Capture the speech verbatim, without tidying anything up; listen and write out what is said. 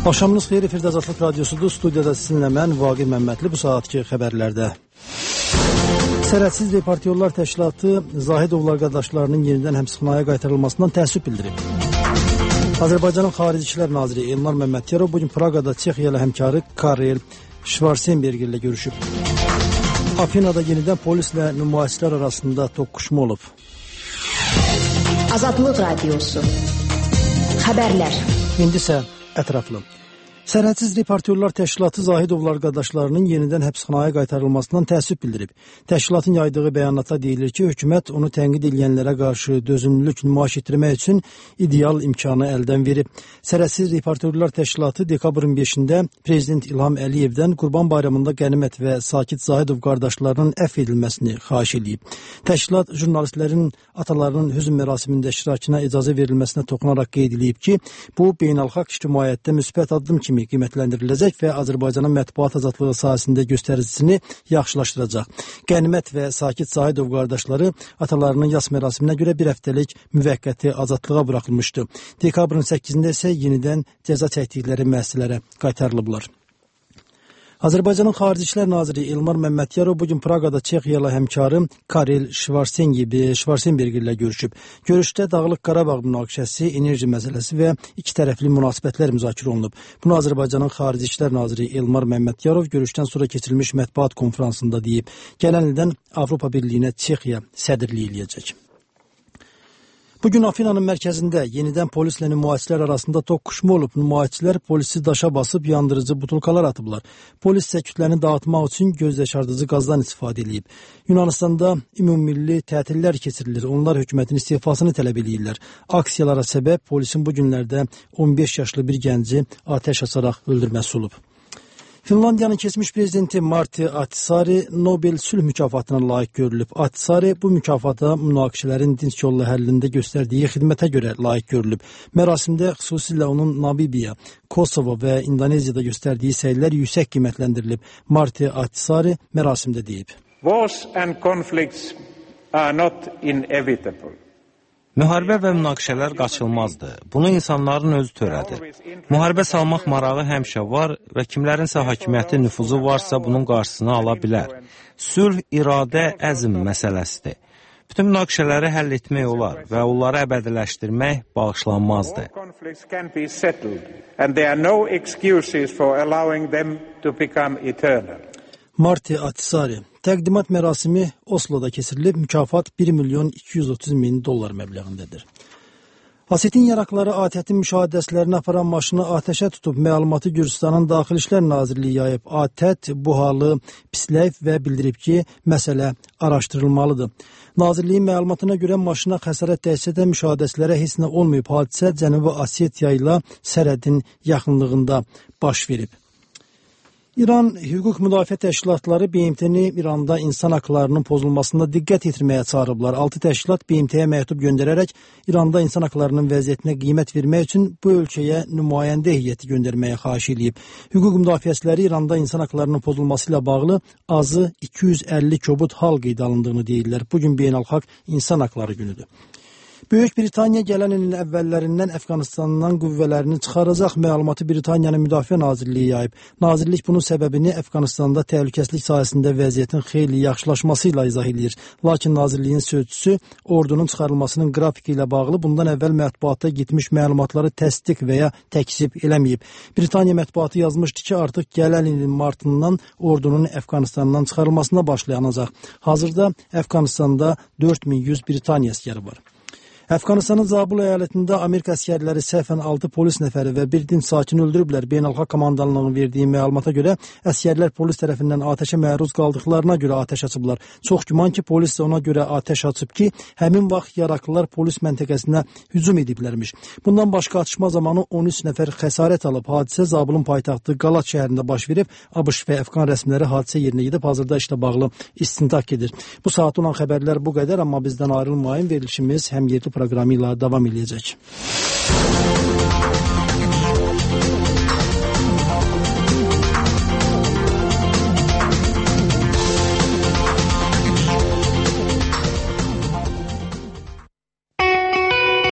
Axşamınız xeyir, efirdə Azadlıq Radiosudur. Studiyada sizinlə mən, Vaqir Məmmədli, bu saatki xəbərlərdə. Sərhədsiz Reportyorlar Təşkilatı Zahidovlar qardaşlarının yenidən həbsxanaya qaytarılmasından təəssüf bildirib. Azərbaycanın Xarici İşlər Naziri Elmar Məmmədkərov bugün Praqada Çexiya ilə həmkarı Karel Schwarzenberg ilə görüşüb. Afinada yenidən polislə nümayişçilər arasında toqquşma olub. Azadlıq Radiosu xəbərlər. İndi isə ətraflı. Sərhədsiz Reportyorlar Təşkilatı Zahidovlar qardaşlarının yenidən həbsxanaya qaytarılmasından təəssüf bildirib. Təşkilatın yaydığı bəyanatda deyilir ki, hökumət onu tənqid edilənlərə qarşı dözümlülük nümayiş etdirmək üçün ideal imkanı əldən verib. Sərhədsiz Reportyorlar Təşkilatı dekabrın beşində Prezident İlham Əliyevdən Qurban Bayramında Qənimət və Sakit Zahidov qardaşlarının əfv edilməsini xahiş edib. Təşkilat jurnalistlərin atalarının hüzn mərasimində iştirakına icazə verilməsinə toxunaraq qeyd edib ki, bu beynəlxalq ictimaiyyətdə müsbət addım kimi qiymətləndiriləcək və Azərbaycanın mətbuat azadlığı sahəsində göstəricisini yaxşılaşdıracaq. Qənimət və Sakit Zahidov qardaşları atalarının yas mərasiminə görə bir həftəlik müvəqqəti azadlığa buraxılmışdı. Dekabrın səkkizində isə yenidən cəza çəkdikləri müəssisələrə qaytarılıblar. Azərbaycanın Xarici İşlər Naziri Elmar Məmmədkərov bugün Praqada Çexiya ilə həmkarı Karel Schwarzenberg ilə görüşüb. Görüşdə Dağlıq Qarabağ münaqişəsi, enerji məsələsi və iki tərəfli münasibətlər müzakirə olunub. Bunu Azərbaycanın Xarici İşlər Naziri Elmar Məmmədkərov görüşdən sonra keçirilmiş mətbuat konfransında deyib. Gələn ildən Avropa Birliyinə Çexiya sədrlik eləyəcək. Bugün Afinanın mərkəzində yenidən polislə nümayişçilər arasında toqquşma olub. Nümayişçilər polisi daşa basıb yandırıcı butulkalar atıblar. Polis isə kütləni dağıtmaq üçün göz yaşardıcı qazdan istifadə edib. Yunanistanda ümummilli tətillər keçirilir. Onlar hökumətin istifasını tələb edirlər. Aksiyalara səbəb polisin bu günlərdə on beş yaşlı bir gənci atəş açaraq öldürməsi olub. Finlandiyanın keçmiş prezidenti Marti Ahtisaari Nobel sülh mükafatına layiq görülüb. Ahtisaari bu mükafata münaqişələrin dinç yolla həllində göstərdiyi xidmətə görə layiq görülüb. Mərasimdə xüsusilə onun Namibiya, Kosovo və İndoneziyada göstərdiyi səylər yüksək qiymətləndirilib. Marti Ahtisaari mərasimdə deyib. Wars and conflicts are not inevitable. Müharibə və münaqişələr qaçılmazdır. Bunu insanların özü törədir. Müharibə salmaq marağı həmişə var və kimlərinsə hakimiyyəti nüfuzu varsa bunun qarşısını ala bilər. Sülh, iradə, əzm məsələsidir. Bütün münaqişələri həll etmək olar və onları əbədiləşdirmək bağışlanmazdır. Marti Ahtisaari. Təqdimat mərasimi Oslo'da keçirilib, mükafat bir milyon iki yüz otuz min dollar məbləğindədir. Asetin yaraqları A T T'in müşahidəsilərini aparan maşını atəşə tutub, məlumatı Gürcüstanın Daxili İşlər Nazirliyi yayıb. A T T bu halı pisləyib və bildirib ki, məsələ araşdırılmalıdır. Nazirliyin məlumatına görə maşına xəsarət dəysə də müşahidəçilərə heç nə olmayıb. Hadisə Cənubi Osetiya ilə sərhədin yaxınlığında baş verib. İran Hüquq Müdafiə Təşkilatları B M T-ni İranda insan haqlarının pozulmasında diqqət yetirməyə çağırıblar. Altı təşkilat B M T-yə məktub göndərərək İranda insan haqlarının vəziyyətinə qiymət vermək üçün bu ölkəyə nümayəndə heyəti göndərməyə xahiş edib. Hüquq müdafiəçiləri İranda insan haqlarının pozulması ilə bağlı azı iki yüz əlli kobud hal qeydə alındığını deyirlər. Bugün beynəlxalq insan haqları günüdür. Böyük Britaniya gələn ilin əvvəllərindən Əfqanistandan qüvvələrini çıxaracaq məlumatı Britaniyanın Müdafiə Nazirliyi yayıb. Nazirlik bunun səbəbini Əfqanistanda təhlükəsizlik sahəsində vəziyyətin xeyli yaxşılaşması ilə izah edir. Lakin Nazirliyin sözçüsü ordunun çıxarılmasının qrafiki ilə bağlı bundan əvvəl mətbuata getmiş məlumatları təsdiq və ya təkzib eləməyib. Britaniya mətbuatı yazmışdı ki, artıq gələn ilin martından ordunun Əfqanistandan çıxarılmasına başlayanacaq. Hazırda Əfqanistanda dörd min yüz Britaniya əskəri var. Əfqanistanın Zabul əyalətində Amerika əskərləri səhvən altı polis nəfəri və bir dinc sakini öldürüblər. Beynəlxalq komandanlığının verdiyi məlumata görə əskərlər polis tərəfindən atəşə məruz qaldıqlarına görə atəş açıblar. Çox güman ki, polis də ona görə atəş açıb ki, həmin vaxt yaraqlılar polis məntəqəsinə hücum ediblərmiş. Bundan başqa atışma zamanı on üç nəfər xəsarət alıb. Hadisə Zabulun paytaxtı Qalat şəhərində baş verib. ABŞ və Əfqan rəsmiləri hadisə yerinə gedib, hazırda işlə bağlı istintaq edir. Bu saat olan xəbərlər bu qədər, amma bizdən ayrılmayın, verilişimiz həm yerli proqramı ilə davam edəcək.